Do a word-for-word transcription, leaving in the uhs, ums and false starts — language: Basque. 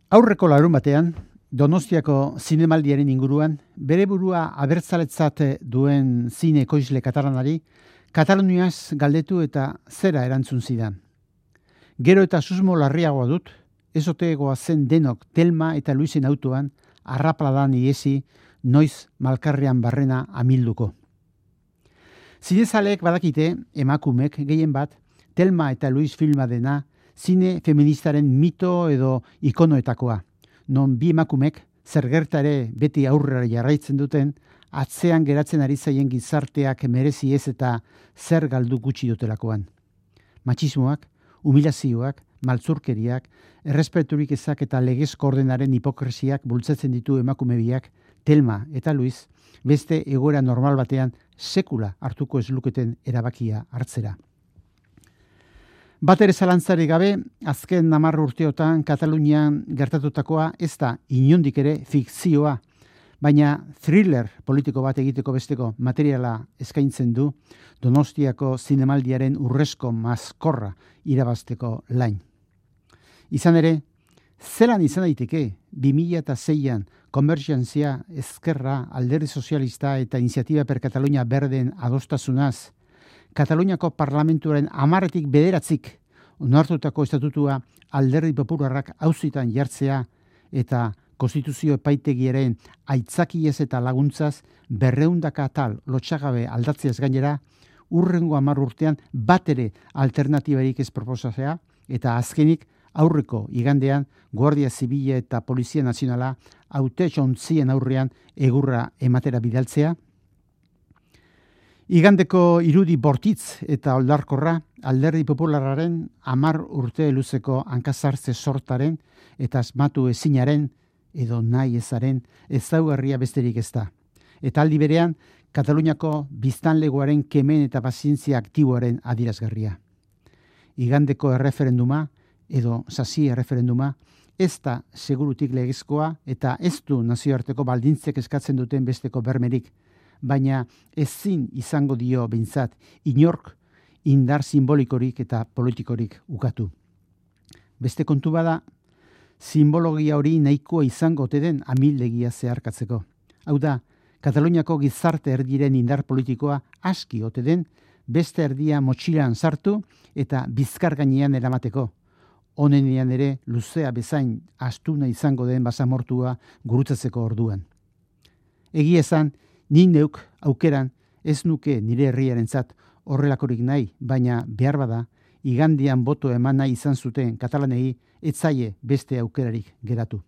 Aurreko larun batean, Donostiako zinemaldiaren inguruan, bere burua abertzaletzat duen zine ekoizle katalanari, Kataluniaz galdetu eta zera erantzun zidan. Gero eta susmo larriagoa dut, ez otegoa zen denok Telma eta Luisen autoan, arrapladan iesi, noiz malkarrean barrena amilduko. Zinezaleek badakite, emakumek gehien bat, Telma eta Luis filma dena, zine feministaren mito edo ikonoetakoa. Non bi emakumek, zer gerta ere beti aurrera jarraitzen duten, atzean geratzen ari zaien gizarteak merezi ez eta zer galdu gutxi dutelakoan. Matxismoak, humilazioak, maltzurkeriak, errespeturik ezak eta legezko ordenaren hipokresiak bultzatzen ditu emakume biak, Telma eta Luis, beste egoera normal batean sekula hartuko ez luketen erabakia hartzera. Bat ere zalantzari gabe, azken hamar urteotan Katalunian gertatutakoa ez da inondik ere fikzioa, baina thriller politiko bat egiteko besteko materiala eskaintzen du Donostiako zinemaldiaren urrezko maskorra irabazteko lain. Izan ere, zelan izan daiteke bi mila seian Konbergentzia, Ezkerra, Alderdi Sozialista eta Iniziatiba per Katalunia Berden adostasunaz, Kataluniako parlamentuaren hamarretik bederatzik onartutako estatutua Alderdi Popularrak auzitan jartzea eta konstituzio epaitegiaren aitzakiez eta laguntzaz berreundaka atal lotxagabe aldatzeaz gainera, urrengo hamar urtean bat ere alternatibarik ez proposatzea eta azkenik aurreko igandean Guardia Zibila eta Polizia Nazionala hautetxontzien aurrean egurra ematera bidaltzea. Igandeko irudi bortitz eta oldarkorra Alderdi Popularraren hamar urte luzeko hankazartze sortaren eta asmatu ezinaren edo nahi ezaren ezaugarria besterik ez da. Eta aldi berean, Kataluniako biztanlegoaren kemen eta pazientzia aktiboaren adierazgarria. Igandeko erreferenduma edo sasi erreferenduma ez da segurutik legezkoa eta ez du nazioarteko baldintzek eskatzen duten besteko bermerik, baina ezin izango dio behintzat inork indar simbolikorik eta politikorik ukatu. Beste kontu bada, simbologia hori nahikoa izango ote den amildegia zeharkatzeko. Hau da, Kataluniako gizarte erdiren indar politikoa aski ote den beste erdia motxilan sartu eta bizkar gainean eramateko. Honenean ere luzea bezain astuna izango den basamortua gurutzatzeko orduan. Egia esan, ni neuk aukeran ez nuke nire herriarentzat horrelakorik nahi, baina behar bada, igandean boto eman nahi izan zuten katalanei ez zaie beste aukerarik geratu.